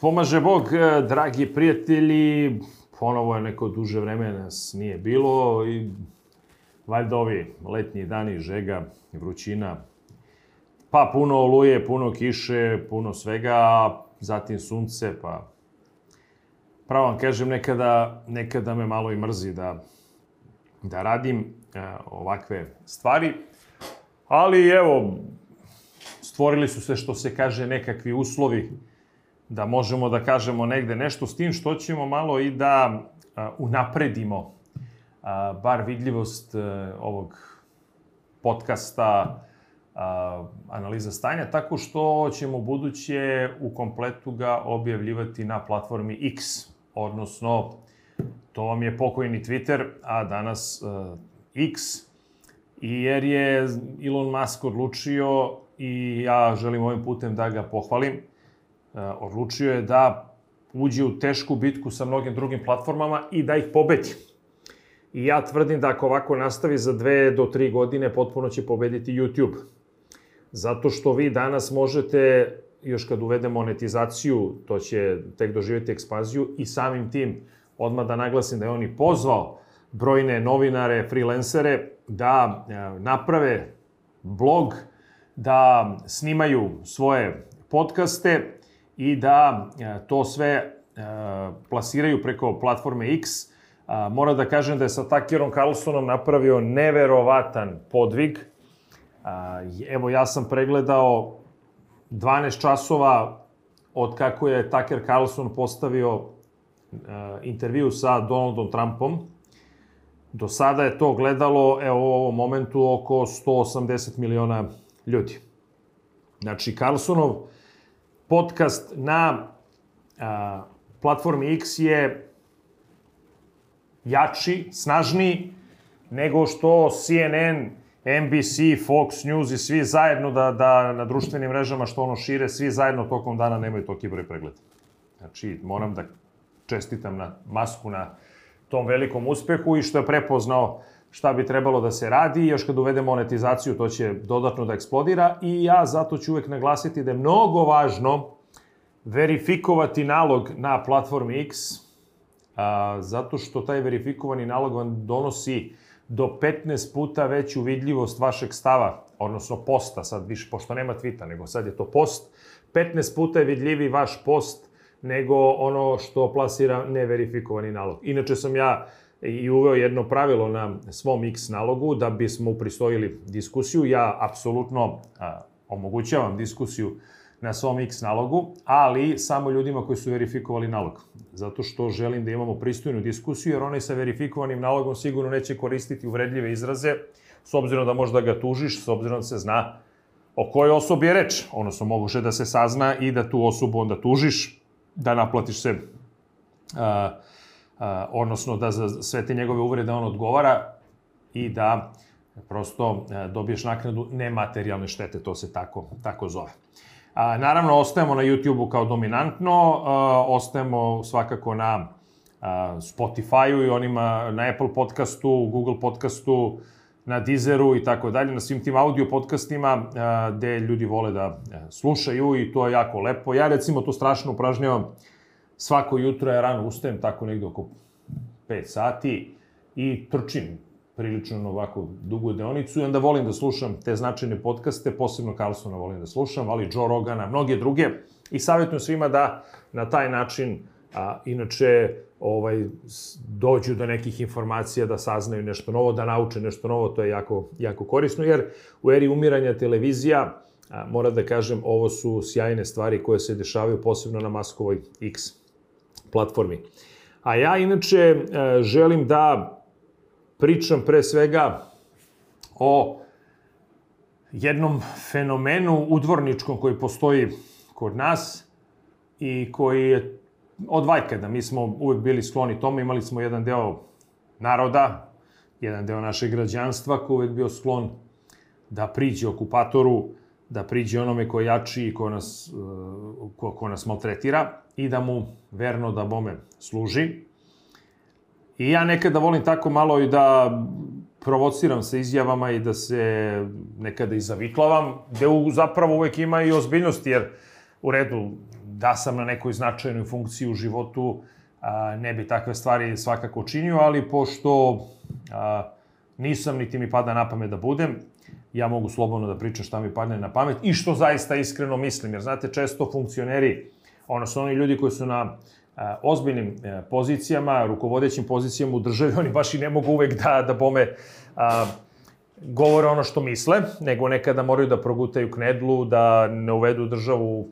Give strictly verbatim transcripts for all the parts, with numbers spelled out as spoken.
Pomaže Bog, dragi prijatelji, ponovo je neko duže vreme nas nije bilo i valjda ovi letnji dani, žega, vrućina, pa puno oluje, puno kiše, puno svega, zatim sunce, pa pravo vam kažem, nekada, nekada me malo i mrzi da, da radim e, ovakve stvari, ali evo, stvorili su se, što se kaže, nekakvi uslovi da možemo da kažemo negde nešto, s tim što ćemo malo i da a, unapredimo a, bar vidljivost a, ovog podcasta a, Analiza stanja, tako što ćemo buduće u kompletu ga objavljivati na platformi X, odnosno to vam je pokojni Twitter, a danas a, X, i jer je Elon Musk odlučio, i ja želim ovim putem da ga pohvalim, odlučio je da uđe u tešku bitku sa mnogim drugim platformama i da ih pobedi. I ja tvrdim da ako ovako nastavi za dve do tri godine, potpuno će pobediti YouTube. Zato što vi danas možete, još kad uvede monetizaciju, to će tek doživjeti ekspanziju, i samim tim, odmah da naglasim da je on i pozvao brojne novinare, freelancere, da naprave blog, da snimaju svoje podcaste i da to sve plasiraju preko platforme X. Moram da kažem da je sa Tuckerom Carlsonom napravio neverovatan podvig. Evo, ja sam pregledao dvanaest časova od kako je Tucker Carlson postavio intervju sa Donaldom Trumpom. Do sada je to gledalo, evo, u ovom momentu oko sto osamdeset miliona ljudi. Znači, Carlsonov podcast na a, platformi X je jači, snažniji nego što C N N, N B C, Fox News i svi zajedno da, da na društvenim mrežama što ono šire, svi zajedno tokom dana nemaju toliki broj pregleda. Znači, moram da čestitam na Musku na tom velikom uspehu i što je prepoznao šta bi trebalo da se radi, i još kad uvede monetizaciju, to će dodatno da eksplodira, i ja zato ću uvek naglasiti da je mnogo važno verifikovati nalog na platformi X, a, zato što taj verifikovani nalog vam donosi do petnaest puta veću vidljivost vašeg stava, odnosno posta, sad više, pošto nema tvita, nego sad je to post, petnaest puta je vidljiviji vaš post nego ono što plasira neverifikovani nalog. Inače sam ja i uveo jedno pravilo na svom X nalogu da bismo upristojili diskusiju. Ja apsolutno a, omogućavam diskusiju na svom X nalogu, ali samo ljudima koji su verifikovali nalog. Zato što želim da imamo pristojnu diskusiju, jer onaj sa verifikovanim nalogom sigurno neće koristiti uvredljive izraze, s obzirom da možda ga tužiš, s obzirom da se zna o kojoj osobi je reč. Odnosno, moguće da se sazna i da tu osobu onda tužiš, da naplatiš se a, Uh, odnosno da za sve te njegove uvrede on odgovara i da prosto uh, dobiješ naknadu nematerijalne štete, to se tako, tako zove. Uh, naravno, ostajemo na YouTube-u kao dominantno, uh, ostajemo svakako na uh, Spotify-u i onima na Apple podcastu, Google podcastu, na Deezeru i tako dalje, na svim tim audio podcastima uh, gde ljudi vole da uh, slušaju, i to je jako lepo. Ja recimo to strašno upražnjavam. Svako jutro ja rano ustajem, tako negde oko pet sati, i trčim prilično ovako dugu deonicu, i onda volim da slušam te značajne podcaste, posebno Carlsona volim da slušam, ali Joe Rogana, mnoge druge, i savjetujem svima da na taj način, a, inače, ovaj, dođu do nekih informacija, da saznaju nešto novo, da nauče nešto novo, to je jako, jako korisno, jer u eri umiranja televizija, a, moram da kažem, ovo su sjajne stvari koje se dešavaju, posebno na Muskovoj X platformi. A ja inače želim da pričam pre svega o jednom fenomenu udvorničkom koji postoji kod nas i koji je od vajkada. Mi smo uvek bili skloni tome, imali smo jedan deo naroda, jedan deo našeg građanstva koji uvek bio sklon da priđe okupatoru, da priđe onome ko je jači i ko nas, ko, ko nas maltretira, i da mu verno da bome služi. I ja nekada volim tako malo i da provociram sa izjavama i da se nekada i zaviklavam, gde u, zapravo uvek ima i ozbiljnosti, jer u redu, da sam na nekoj značajnoj funkciji u životu, ne bi takve stvari svakako činio, ali pošto nisam, niti mi pada na pamet da budem, ja mogu slobodno da pričam šta mi padne na pamet i što zaista iskreno mislim. Jer, znate, često funkcioneri, odnosno oni ljudi koji su na ozbiljnim pozicijama, rukovodećim pozicijama u državi, oni baš i ne mogu uvek da, da bome a, govore ono što misle, nego nekada moraju da progutaju knedlu, da ne uvedu državu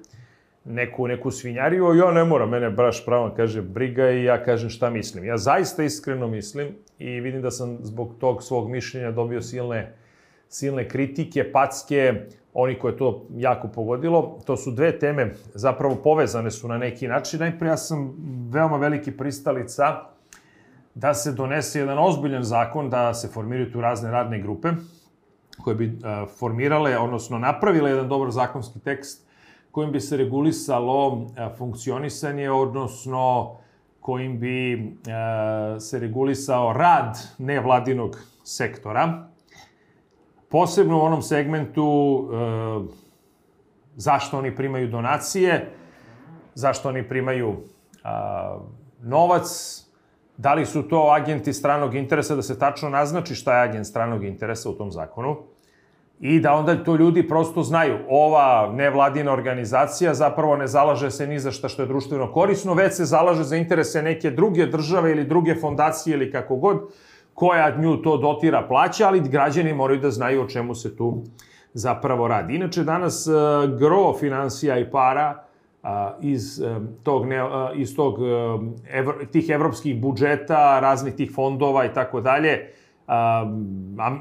neku, neku svinjariju. Ja ne moram, mene baš pravo kaže briga i ja kažem šta mislim. Ja zaista iskreno mislim i vidim da sam zbog tog svog mišljenja dobio silne, silne kritike, packe, oni koje to jako pogodilo. To su dve teme, zapravo povezane su na neki način. Najprije, ja sam veoma veliki pristalica da se donese jedan ozbiljan zakon, da se formiraju tu razne radne grupe koje bi formirale, odnosno napravile jedan dobar zakonski tekst kojim bi se regulisalo funkcionisanje, odnosno kojim bi se regulisao rad nevladinog sektora. Posebno u onom segmentu e, zašto oni primaju donacije, zašto oni primaju a, novac, da li su to agenti stranog interesa, da se tačno naznači šta je agent stranog interesa u tom zakonu i da onda to ljudi prosto znaju. Ova nevladina organizacija zapravo ne zalaže se ni za šta što je društveno korisno, već se zalaže za interese neke druge države ili druge fondacije ili kako god, koja nju to dotira, plaća, ali građani moraju da znaju o čemu se tu zapravo radi. Inače, danas gro finansija i para iz, tog, iz tog, tih evropskih budžeta, raznih tih fondova i tako dalje,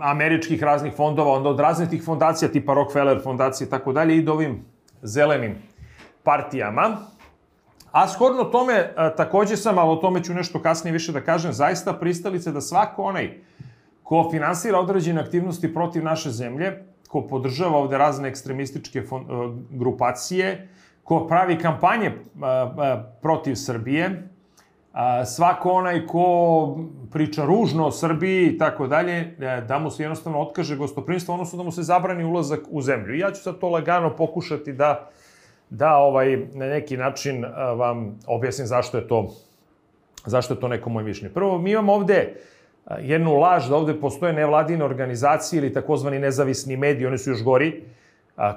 američkih raznih fondova, onda od raznih tih fondacija, tipa Rockefeller fondacije i tako dalje, ide ovim zelenim partijama. A shodno tome, takođe sam, ali o tome ću nešto kasnije više da kažem, zaista pristalice da svako onaj ko finansira određene aktivnosti protiv naše zemlje, ko podržava ovde razne ekstremističke grupacije, ko pravi kampanje protiv Srbije, svako onaj ko priča ružno o Srbiji i tako dalje, da mu se jednostavno otkaže gostoprimstvo, odnosno da mu se zabrani ulazak u zemlju. I ja ću sad to lagano pokušati da da ovaj, na neki način vam objasnim zašto je to, zašto je to neko moje mišljenje. Prvo, mi imamo ovde jednu laž da ovde postoje nevladine organizacije ili takozvani nezavisni mediji, oni su još gori,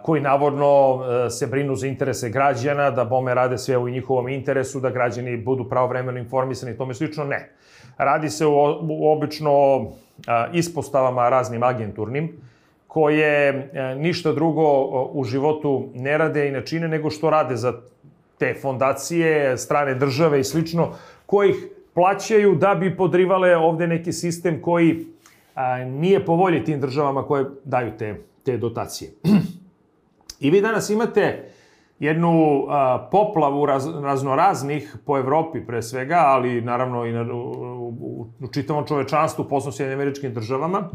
koji navodno se brinu za interese građana, da bome rade sve u njihovom interesu, da građani budu pravovremeno informisani i tome slično. Ne. Radi se u obično ispostavama raznim agenturnim, koje ništa drugo u životu ne rade i ne čine nego što rade za te fondacije, strane države i slično, koji ih plaćaju da bi podrivale ovde neki sistem koji nije po volji tim državama koje daju te, te dotacije. I vi danas imate jednu poplavu raz, raznoraznih po Evropi pre svega, ali naravno i na, u, u, u čitavom čovečanstvu, posebno Sjedinjenim Američkim Državama,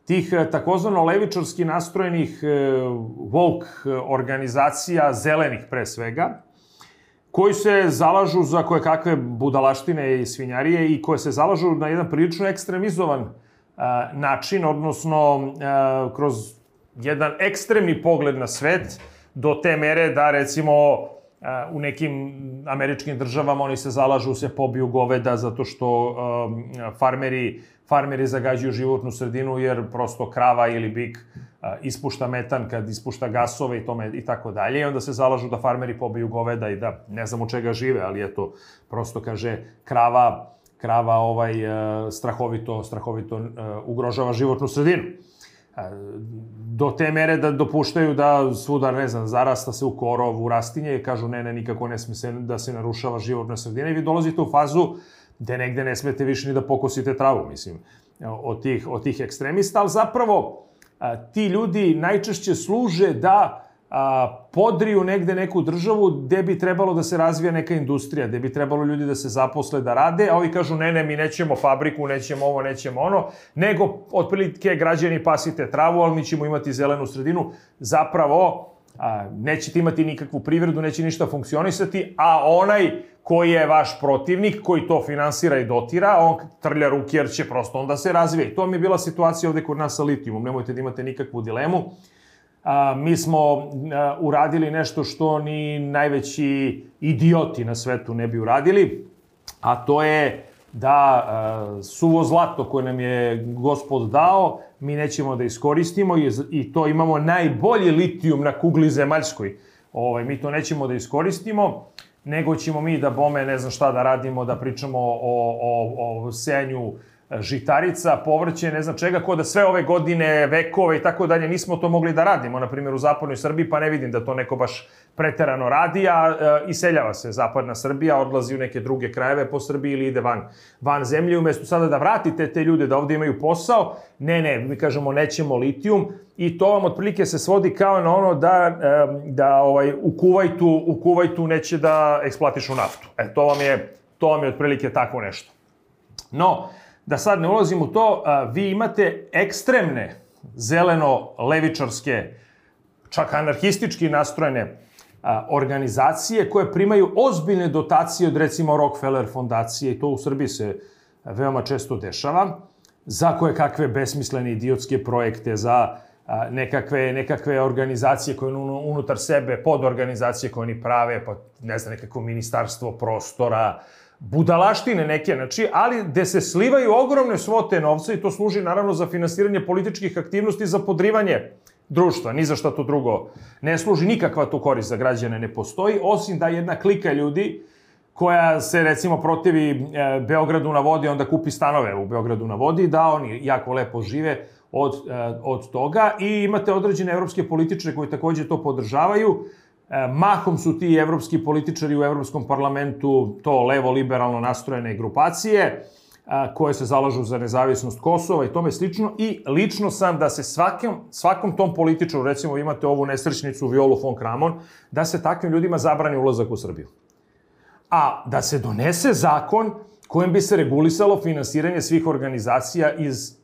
tih takozvano levičarski nastrojenih woke organizacija, zelenih pre svega, koji se zalažu za koje kakve budalaštine i svinjarije i koje se zalažu na jedan prilično ekstremizovan a, način, odnosno a, kroz jedan ekstremni pogled na svet, do te mere da, recimo, a, u nekim američkim državama oni se zalažu, se pobiju goveda zato što a, farmeri farmeri zagađuju životnu sredinu jer prosto krava ili bik a, ispušta metan kad ispušta gasove i tome i tako dalje. I onda se zalažu da farmeri pobiju goveda i da ne znam od čega žive, ali eto, prosto kaže krava, krava ovaj, a, strahovito, strahovito a, ugrožava životnu sredinu. A, do te mere da dopuštaju da svuda, ne znam, zarasta se u korov, u rastinje i kažu ne, ne, nikako ne sme se, da se narušava životna sredina i vi dolazite u fazu gde negde ne smete više ni da pokosite travu, mislim, od tih, od tih ekstremista, ali zapravo a, ti ljudi najčešće služe da a, podriju negde neku državu gde bi trebalo da se razvija neka industrija, gde bi trebalo ljudi da se zaposle, da rade, a ovi kažu ne, ne, mi nećemo fabriku, nećemo ovo, nećemo ono, nego otprilike građani pasite travu, ali mi ćemo imati zelenu sredinu, zapravo a, nećete imati nikakvu privredu, neće ništa funkcionisati, a onaj koji je vaš protivnik, koji to finansira i dotira, on trlja ruke jer će prosto onda se razvije. To mi je bila situacija ovde kod nas sa litijumom, nemojte da imate nikakvu dilemu. a, mi smo a, uradili nešto što ni najveći idioti na svetu ne bi uradili, a to je da a, suvo zlato koje nam je Gospod dao, mi nećemo da iskoristimo i, i to imamo najbolji litijum na kugli zemaljskoj. Ovaj, mi to nećemo da iskoristimo, nego ćemo mi da bome ne znam šta da radimo, da pričamo o, o, o sejanju žitarica, povrće, ne znam čega, ko da sve ove godine, vekove i tako dalje, nismo to mogli da radimo, na primjer u zapadnoj Srbiji, pa ne vidim da to neko baš preterano radi, a e, iseljava se zapadna Srbija, odlazi u neke druge krajeve po Srbiji ili ide van, van zemlje, umjesto sada da vratite te ljude da ovdje imaju posao, ne, ne, mi kažemo nećemo litijum i to vam otprilike se svodi kao na ono da, e, da ovaj, u Kuvajtu, u Kuvajtu neće da eksploatišu naftu. E, to vam je, to vam je otprilike tako nešto. No, da sad ne ulazim u to, vi imate ekstremne zeleno-levičarske, čak anarhistički nastrojene organizacije koje primaju ozbiljne dotacije od recimo Rockefeller fondacije i to u Srbiji se veoma često dešava, za koje kakve besmislene idiotske projekte, za nekakve, nekakve organizacije koje unutar sebe, podorganizacije koje oni prave, pa ne znam, nekako ministarstvo prostora, budalaštine neke, znači, ali gde se slivaju ogromne svote novca i to služi naravno za finansiranje političkih aktivnosti, za podrivanje društva, ni za šta to drugo ne služi, nikakva to korist za građane ne postoji, osim da jedna klika ljudi koja se recimo protivi e, Beogradu na vodi, onda kupi stanove u Beogradu na vodi, da oni jako lepo žive od, e, od toga i imate određene evropske političare koji takođe to podržavaju. Mahom su ti evropski političari u Evropskom parlamentu to levo-liberalno nastrojene grupacije koje se zalažu za nezavisnost Kosova i tome slično. I lično sam da se svakom, svakom tom političaru, recimo imate ovu nesrećnicu Violu von Kramon, da se takvim ljudima zabrani ulazak u Srbiju. A da se donese zakon kojim bi se regulisalo finansiranje svih organizacija iz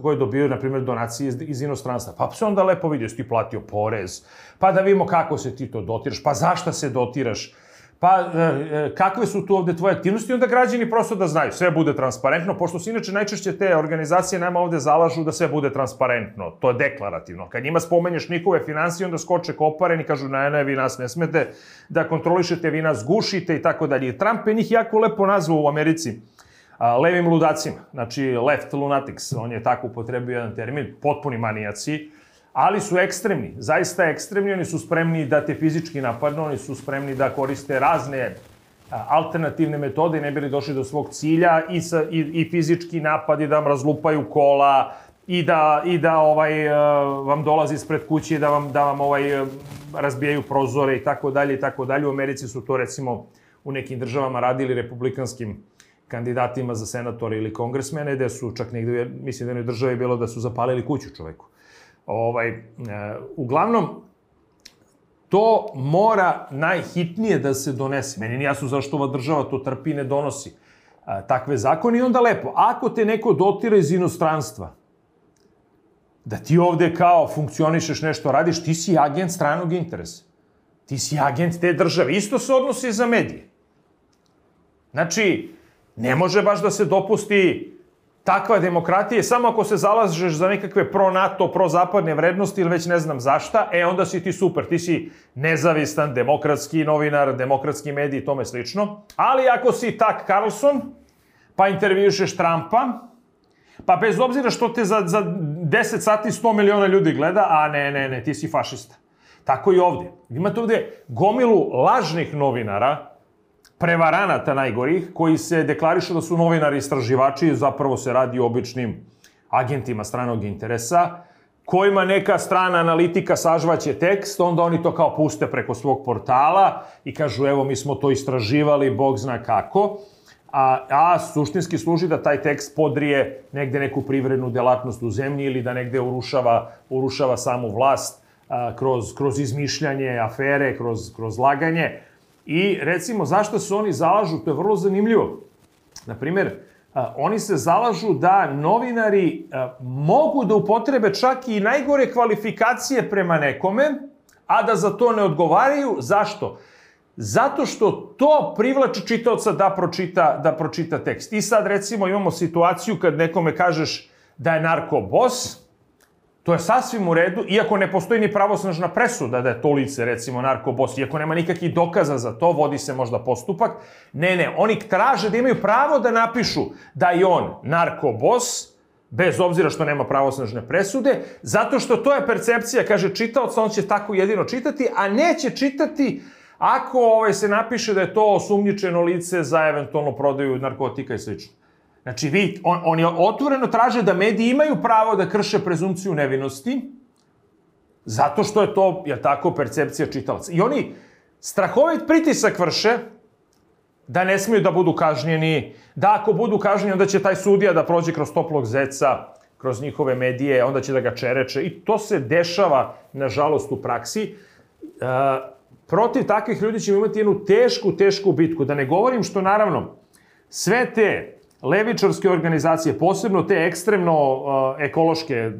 koje dobiju, na primjer, donacije iz, iz inostranstva. Pa se onda lepo vidi, jesi ti platio porez, pa da vidimo kako se ti to dotiraš, pa zašta se dotiraš, pa e, kakve su tu ovde tvoje aktivnosti, onda građani prosto da znaju, sve bude transparentno, pošto se inače najčešće te organizacije nama ovde zalažu da sve bude transparentno, to je deklarativno. Kad njima spomenješ njihove finansije, onda skoče koparen i kažu, ne, ne, vi nas ne smete da kontrolišete, vi nas gušite i tako dalje. Trump je njih jako lepo nazvao u Americi levim ludacima, znači left lunatics, on je tako upotrebio jedan termin, potpuni manijaci, ali su ekstremni, zaista ekstremni, oni su spremni da te fizički napadnu, oni su spremni da koriste razne alternativne metode i ne bili došli do svog cilja i, sa, i, i fizički napadi da vam razlupaju kola i da, i da ovaj, vam dolazi ispred kuće i da vam, da vam ovaj, razbijaju prozore i tako dalje i tako dalje. U Americi su to recimo u nekim državama radili republikanskim kandidatima za senatore ili kongresmene, gde su čak negde, mislim da jednoj državi bilo da su zapalili kuću čoveku. Ovaj, e, uglavnom, to mora najhitnije da se donese. Meni nije jasno zašto ova država to trpi i ne donosi a, takve zakone. I onda lepo, ako te neko dotira iz inostranstva, da ti ovde kao funkcionišeš, nešto radiš, ti si agent stranog interesa. Ti si agent te države. Isto se odnosi za medije. Znači, ne može baš da se dopusti takva demokratija, samo ako se zalažeš za nekakve pro-NATO, pro-zapadne vrednosti ili već ne znam zašta, e onda si ti super, ti si nezavistan, demokratski novinar, demokratski medij i tome slično. Ali ako si Tak Carlson, pa intervjušeš Trumpa, pa bez obzira što te za, za deset sati sto miliona ljudi gleda, a ne, ne, ne, ti si fašista. Tako i ovdje. Imate ovdje gomilu lažnih novinara, prevaranata najgorih, koji se deklarišu da su novinari istraživači, zapravo se radi o običnim agentima stranog interesa, kojima neka strana analitika sažvaće tekst, onda oni to kao puste preko svog portala i kažu, evo, mi smo to istraživali, Bog zna kako, a, a suštinski služi da taj tekst podrije negde neku privrednu delatnost u zemlji ili da negde urušava, urušava samu vlast a, kroz, kroz izmišljanje afere, kroz, kroz laganje. I recimo, zašto se oni zalažu, to je vrlo zanimljivo. Naprimjer, oni se zalažu da novinari mogu da upotrebe čak i najgore kvalifikacije prema nekome, a da za to ne odgovaraju. Zašto? Zato što to privlači čitaoca da pročita, da pročita tekst. I sad recimo imamo situaciju kad nekome kažeš da je narkobos, To je sasvim u redu, iako ne postoji ni pravosnažna presuda da je to lice, recimo, narkobos, iako nema nikakvih dokaza za to, vodi se možda postupak. Ne, ne, oni traže da imaju pravo da napišu da je on narkobos, bez obzira što nema pravosnažne presude, zato što to je percepcija, kaže čitaoca, on će tako jedino čitati, a neće čitati ako ovaj, se napiše da je to osumnjičeno lice za eventualno prodaju narkotika i sl. Znači, vi, on, oni otvoreno traže da mediji imaju pravo da krše prezumciju nevinosti, zato što je to, je tako, percepcija čitalaca. I oni strahovit pritisak vrše da ne smiju da budu kažnjeni, da ako budu kažnjeni, onda će taj sudija da prođe kroz toplog zeca, kroz njihove medije, onda će da ga čereče. I to se dešava, nažalost, u praksi. E, protiv takvih ljudi ćemo imati jednu tešku, tešku bitku. Da ne govorim što, naravno, sve te levičarske organizacije, posebno te ekstremno uh, ekološke,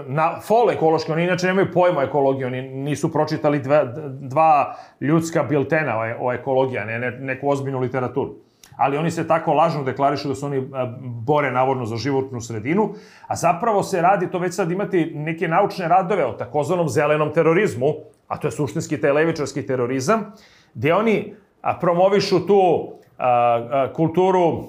na, fol ekološke, oni inače nemaju pojma o ekologiji, oni nisu pročitali dva, dva ljudska biltena o, o ekologiji, a ne, ne neku ozbiljnu literaturu. Ali oni se tako lažno deklarišu da se oni uh, bore navodno za životnu sredinu, a zapravo se radi, to već sad imati neke naučne radove o takozvanom zelenom terorizmu, a to je suštinski taj levičarski terorizam, gde oni uh, promovišu tu uh, uh, kulturu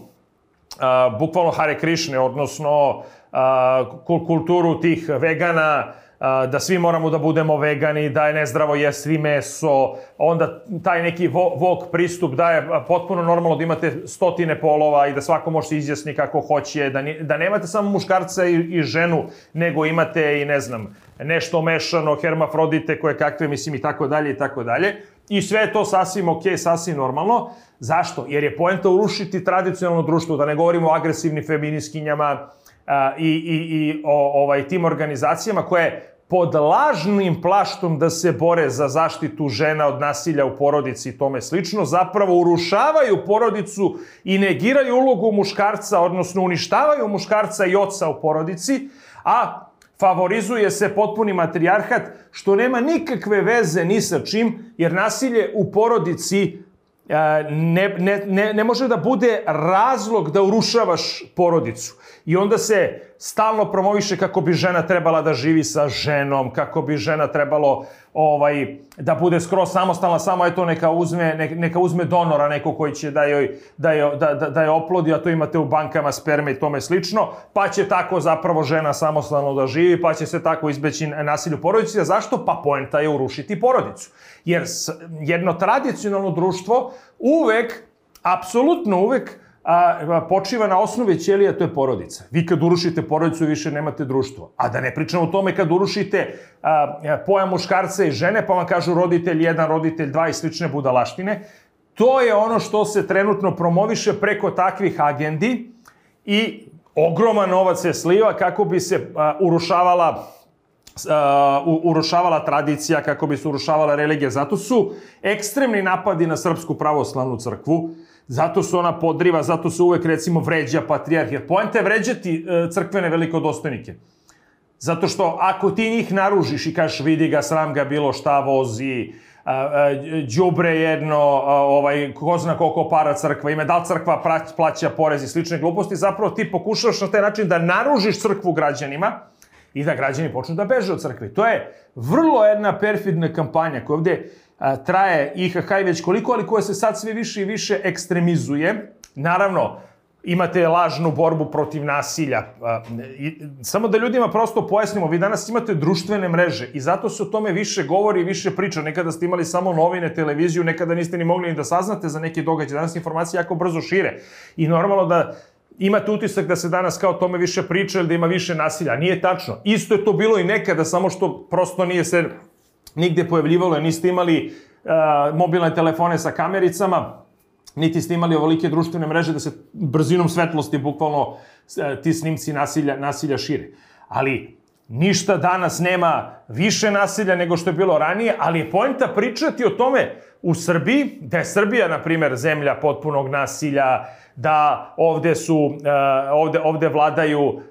Uh, bukvalno Hare Krišne, odnosno uh, kulturu tih vegana, uh, da svi moramo da budemo vegani, da je nezdravo jesti meso, onda taj neki woke pristup da je potpuno normalno da imate stotine polova i da svako može se izjasni kako hoće, da, ni, da nemate samo muškarca i, i ženu, nego imate i ne znam, nešto mešano, hermafrodite, koje kakve, mislim, i tako dalje, i tako dalje. I sve je to sasvim okej, sasvim normalno. Zašto? Jer je poenta urušiti tradicionalno društvo, da ne govorimo o agresivnim feminiskinjama a, i, i, i o ovaj, tim organizacijama koje pod lažnim plaštom da se bore za zaštitu žena od nasilja u porodici i tome slično, zapravo urušavaju porodicu i negiraju ulogu muškarca, odnosno uništavaju muškarca i oca u porodici, a favorizuje se potpuni matrijarhat, što nema nikakve veze ni sa čim, jer nasilje u porodici ne, ne, ne, ne može da bude razlog da urušavaš porodicu. I onda se stalno promoviše kako bi žena trebala da živi sa ženom, kako bi žena trebalo ovaj, da bude skroz samostalna, samo eto neka uzme, ne, neka uzme donora, neko koji će da joj, da joj, da, da, da joj oplodi, a to imate u bankama sperme i tome slično, pa će tako zapravo žena samostalno da živi, pa će se tako izbeći nasilje u porodici. A zašto? Pa poenta je urušiti porodicu. Jer jedno tradicionalno društvo uvek, apsolutno uvek, a, počiva na osnovi ćelija, to je porodica. Vi kad urušite porodicu, više nemate društvo. A da ne pričamo o tome kad urušite a, pojam muškarca i žene, pa vam kažu roditelj jedan, roditelj dva i slične budalaštine. To je ono što se trenutno promoviše preko takvih agendi i ogroman novac se sliva kako bi se a, urušavala Uh, urušavala tradicija, kako bi se urušavala religija. Zato su ekstremni napadi na Srpsku pravoslavnu crkvu, zato su ona podriva, zato se uvek, recimo, vređa patrijarh. Jer poenta je vređati uh, crkvene velikodostojnike. Zato što ako ti njih naružiš i kažeš vidi ga, sram ga bilo šta vozi, đubre uh, uh, jedno, uh, ovaj, ko zna koliko para crkva ima, da li crkva plaća porez i slične gluposti, zapravo ti pokušavaš na taj način da naružiš crkvu građanima i da građani počnu da beže od crkve. To je vrlo jedna perfidna kampanja koja ovde a, traje I H H i već koliko, ali koja se sad sve više i više ekstremizuje. Naravno, imate lažnu borbu protiv nasilja. A, i, samo da ljudima prosto pojasnimo, vi danas imate društvene mreže i zato se o tome više govori i više priča. Nekada ste imali samo novine, televiziju, nekada niste ni mogli ni da saznate za neki događaj. Danas informacije jako brzo šire. I normalno da imate utisak da se danas kao o tome više priča ili da ima više nasilja. Nije tačno. Isto je to bilo i nekada, samo što prosto nije se nigde pojavljivalo. Niste imali uh, mobilne telefone sa kamericama, niti ste imali ovolike društvene mreže da se brzinom svetlosti bukvalno uh, ti snimci nasilja, nasilja šire. Ali ništa danas nema više nasilja nego što je bilo ranije, ali je poenta pričati o tome u Srbiji, da je Srbija, na primjer, zemlja potpunog nasilja, da ovde su, uh, ovde, ovde vladaju uh, uh,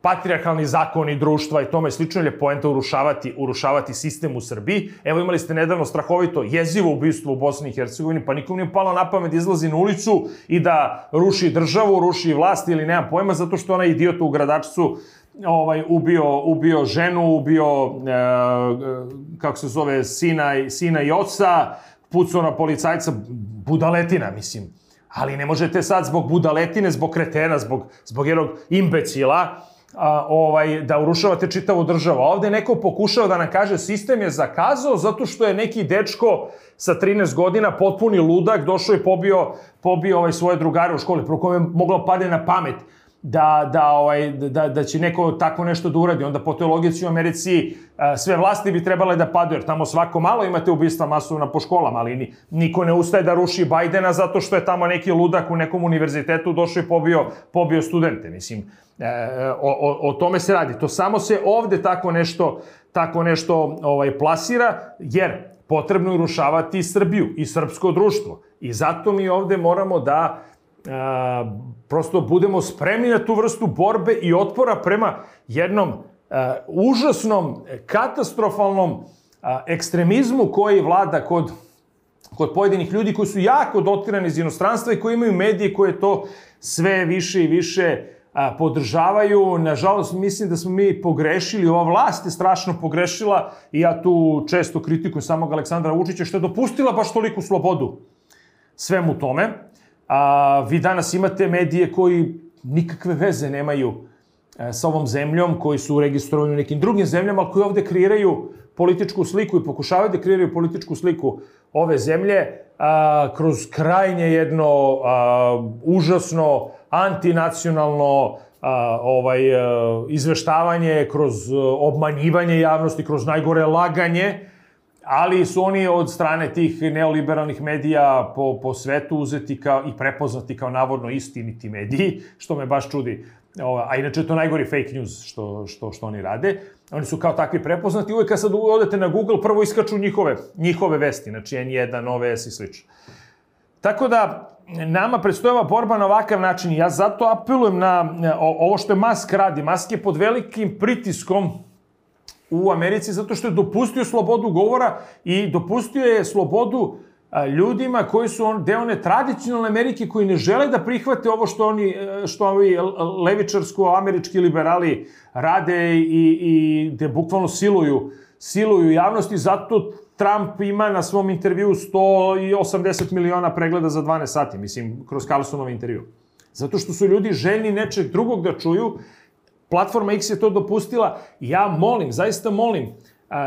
patrijarhalni zakoni društva i tome slično, je poenta urušavati, urušavati sistem u Srbiji. Evo, imali ste nedavno strahovito jezivo ubistvo u Bosni i Hercegovini, pa nikom nije palo na pamet da izlazi na ulicu i da ruši državu, ruši vlast ili nemam pojma, zato što onaj idiot u Gradačcu ovaj, ubio, ubio ženu, ubio, e, kako se zove, sina, sina i oca, pucao na policajca, budaletina, mislim. Ali ne možete sad zbog budaletine, zbog kretena, zbog, zbog jednog imbecila, a, ovaj, da urušavate čitavu državu. A ovde neko pokušao da nam kaže sistem je zakazao zato što je neki dečko sa trinaest godina, potpuni ludak, došao i pobio, pobio ovaj, svoje drugare u školi, pro kome je moglo padne na pamet da, da, ovaj, da, da će neko tako nešto da uradi. Onda po toj logici u Americi a, sve vlasti bi trebale da padaju, jer tamo svako malo imate ubistva masovna po školama, ali ni, niko ne ustaje da ruši Bajdena zato što je tamo neki ludak u nekom univerzitetu došao i pobio, pobio studente. Mislim, e, o, o, o tome se radi. To samo se ovde tako nešto, tako nešto ovaj, plasira, jer potrebno je urušavati Srbiju i srpsko društvo. I zato mi ovde moramo da a, prosto budemo spremni na tu vrstu borbe i otpora prema jednom a, užasnom, katastrofalnom a, ekstremizmu koji vlada kod, kod pojedinih ljudi koji su jako dotirani iz inostranstva i koji imaju medije koje to sve više i više a, podržavaju. Nažalost, mislim da smo mi pogrešili, ova vlast je strašno pogrešila i ja tu često kritikujem samog Aleksandra Vučića što je dopustila baš toliku slobodu svemu tome. A, vi danas imate medije koji nikakve veze nemaju e, sa ovom zemljom, koji su registrovani u nekim drugim zemljama, ali koji ovde kreiraju političku sliku i pokušavaju da kreiraju političku sliku ove zemlje a, kroz krajnje jedno a, užasno antinacionalno a, ovaj, a, izveštavanje, kroz obmanjivanje javnosti, kroz najgore laganje, ali su oni od strane tih neoliberalnih medija po, po svetu uzeti kao, i prepoznati kao navodno istiniti mediji, što me baš čudi. A inače je to najgori fake news što, što, što oni rade. Oni su kao takvi prepoznati. Uvijek kad sad odete na Google, prvo iskaču njihove, njihove vesti, znači en jedan, O V S i slično. Tako da, nama predstoje borba na ovakav način. Ja zato apelujem na ovo što je Musk radi. Musk je pod velikim pritiskom u Americi zato što je dopustio slobodu govora i dopustio je slobodu ljudima koji su on, deo one tradicionalne Amerike koji ne žele da prihvate ovo što oni, što ovi levičarsko-američki liberali rade i, i gde bukvalno siluju, siluju javnosti. Zato Trump ima na svom intervju sto osamdeset miliona pregleda za dvanaest sati, mislim, kroz Carlsonov intervju. Zato što su ljudi željni nečeg drugog da čuju. Platforma X je to dopustila. Ja molim, zaista molim,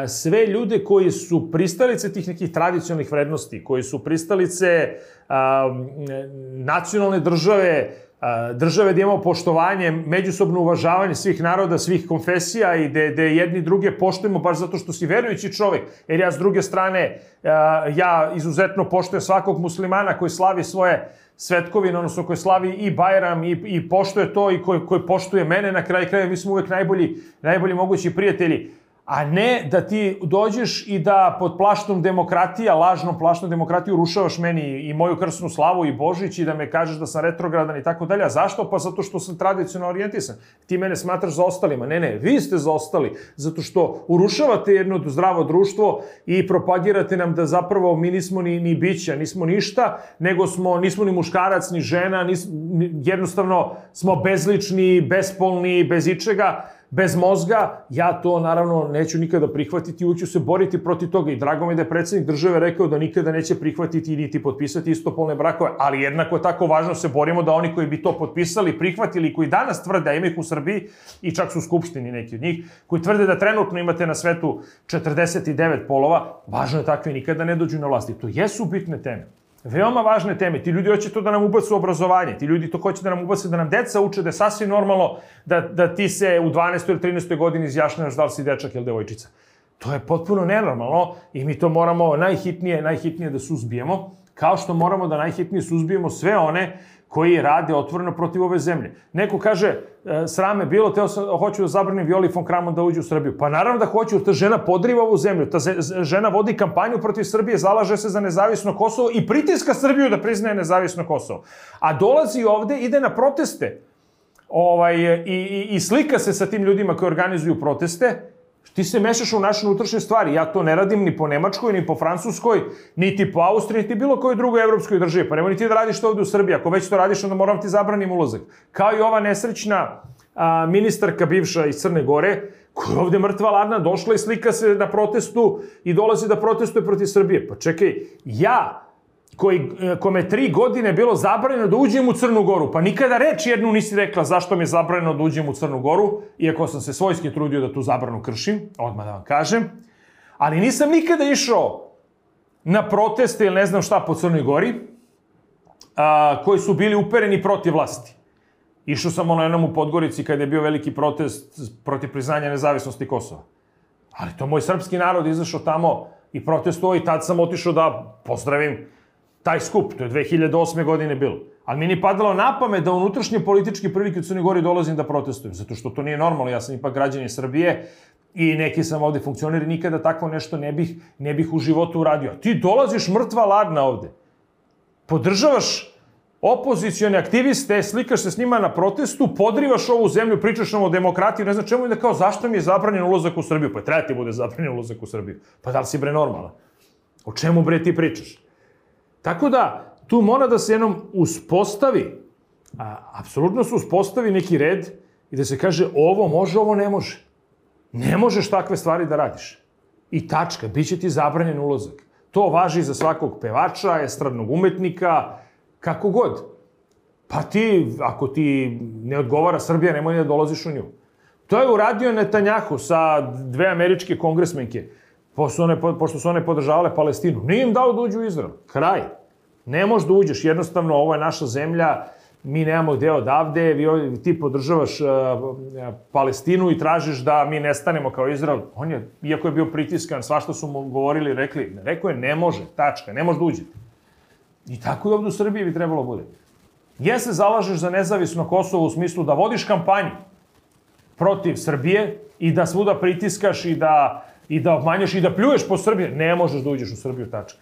sve ljude koji su pristalice tih nekih tradicionalnih vrednosti, koji su pristalice a, nacionalne države, a, države gdje imamo poštovanje, međusobno uvažavanje svih naroda, svih konfesija i gde jedni druge poštujemo baš zato što si verujući čovjek. Jer ja s druge strane, a, ja izuzetno poštujem svakog muslimana koji slavi svoje svetkovine, odnosno koji slavi i Bajram i, i poštuje to i koji, koji poštuje mene na kraju kraja. Mi smo uvek najbolji, najbolji mogući prijatelji. A ne da ti dođeš i da pod plaštom demokratija, lažnom plaštom demokratiju urušavaš meni i moju krsnu slavu i Božić i da me kažeš da sam retrogradan i tako dalje. A zašto? Pa zato što sam tradicionalno orijentisan. Ti mene smatraš za ostalima. Ne, ne, vi ste za ostali. Zato što urušavate jedno zdravo društvo i propagirate nam da zapravo mi nismo ni, ni bića, nismo ništa, nego smo, nismo ni muškarac, ni žena, nis, jednostavno smo bezlični, bespolni, bez ičega, bez mozga. Ja to naravno neću nikada prihvatiti i uću se boriti protiv toga i drago mi je da je predsjednik države rekao da nikada neće prihvatiti niti potpisati istopolne brakove, ali jednako je tako važno se borimo da oni koji bi to potpisali, prihvatili, koji danas tvrde, a ima ih u Srbiji i čak su u Skupštini neki od njih, koji tvrde da trenutno imate na svetu četrdeset devet polova, važno je takvi nikada ne dođu na vlast. I to jesu bitne teme. Veoma važne teme. Ti ljudi hoće to da nam ubacu obrazovanje. Ti ljudi to hoće da nam ubacu, da nam deca uče da je sasvim normalno da, da ti se u dvanaestoj ili trinaestoj godini izjašnjavaš da li si dečak ili devojčica. To je potpuno nenormalno i mi to moramo najhitnije, najhitnije da suzbijemo, kao što moramo da najhitnije suzbijemo sve one koji rade otvoreno protiv ove zemlje. Neko kaže, srame bilo, teo sam, hoću da zabranim Violi von Kramon da uđe u Srbiju. Pa naravno da hoću, ta žena podriva ovu zemlju, ta žena vodi kampanju protiv Srbije, zalaže se za nezavisno Kosovo i pritiska Srbiju da priznaje nezavisno Kosovo. A dolazi ovde, ide na proteste ovaj, i, i, i slika se sa tim ljudima koji organizuju proteste. Ti se mešaš u naše unutrašnje stvari. Ja to ne radim ni po Nemačkoj, ni po Francuskoj, niti po Austriji, niti bilo kojoj drugoj evropskoj državi. Pa nemoj ni ti da radiš to ovde u Srbiji. Ako već to radiš, onda moram ti zabranim ulazak. Kao i ova nesrećna a, ministarka bivša iz Crne Gore, koja je ovde mrtva ladna, došla i slika se na protestu i dolazi da protestuje protiv Srbije. Pa čekaj, ja, koji, kome tri godine bilo zabranjeno da uđem u Crnu Goru, pa nikada reč jednu nisi rekla zašto mi je zabranjeno da uđem u Crnu Goru, iako sam se svojski trudio da tu zabranu kršim, odmah da vam kažem, ali nisam nikada išao na proteste ili ne znam šta po Crnoj Gori, a, koji su bili upereni protiv vlasti. Išao sam ono jednom u Podgorici kada je bio veliki protest protiv priznanja nezavisnosti Kosova. Ali to moj srpski narod izašao tamo i protestovao i tad sam otišao da pozdravim taj skup. To je dve hiljade osme godine bilo. Ali mi nije padalo na pamet da unutrašnje političke prilike u Crnoj Gori dolazim da protestujem, zato što to nije normalno. Ja sam ipak građanin Srbije i neki sam ovde funkcioner i nikada tako nešto ne bih, ne bih u životu uradio. Ti dolaziš mrtva ladna ovde. Podržavaš opozicione aktiviste, slikaš se s njima na protestu, podrivaš ovu zemlju, pričaš nam o demokratiji, ne znam čemu i da kao zašto mi je zabranjen ulazak u Srbiju? Pa treba ti bude zabranjen ulazak u Srbiju. Pa da li si bre normalan? O čemu bre ti pričaš? Tako da, tu mora da se jednom uspostavi, a, apsolutno se uspostavi neki red i da se kaže ovo može, ovo ne može. Ne možeš takve stvari da radiš. I tačka, bit će ti zabranjen ulazak. To važi za svakog pevača, estradnog umetnika, kako god. Pa ti, ako ti ne odgovara Srbija, nemoj da dolaziš u nju. To je uradio Netanjahu sa dve američke kongresmenke, pošto, one, pošto su one podržavale Palestinu. Nije im dao da uđu u Izrael. Kraj. Ne možeš da uđeš. Jednostavno, ovo je naša zemlja, mi nemamo gde odavde, vi, ti podržavaš uh, Palestinu i tražiš da mi nestanemo kao Izrael. On je, iako je bio pritiskan, svašta su mu govorili, rekli, rekao je ne može, tačka, ne može da uđete. I tako i ovdje u Srbiji bi trebalo bude. Je se zalažeš za nezavisno Kosovo u smislu da vodiš kampanju protiv Srbije i da svuda pritiskaš i da, i da obmanješ i da pljuješ po Srbije, ne možeš da uđeš u Srbiju, tačka.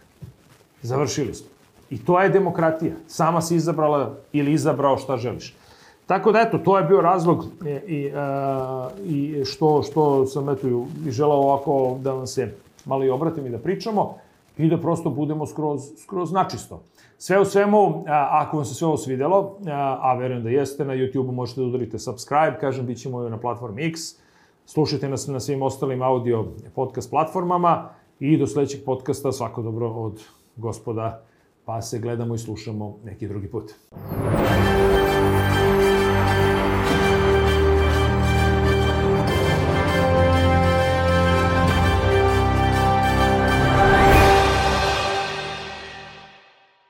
Završili smo. I to je demokratija. Sama si izabrala ili izabrao šta želiš. Tako da, eto, to je bio razlog i, a, i što, što sam eto, i želao ovako da vam se malo i obratim i da pričamo i da prosto budemo skroz, skroz načisto. Sve u svemu, a, ako vam se sve ovo svidjelo, a, a verujem da jeste, na YouTube-u možete da udarite subscribe, kažem, bit ćemo na platformi X, slušajte nas na svim ostalim audio podcast platformama i do sledećeg podcasta svako dobro od gospoda, pa se gledamo i slušamo neki drugi put.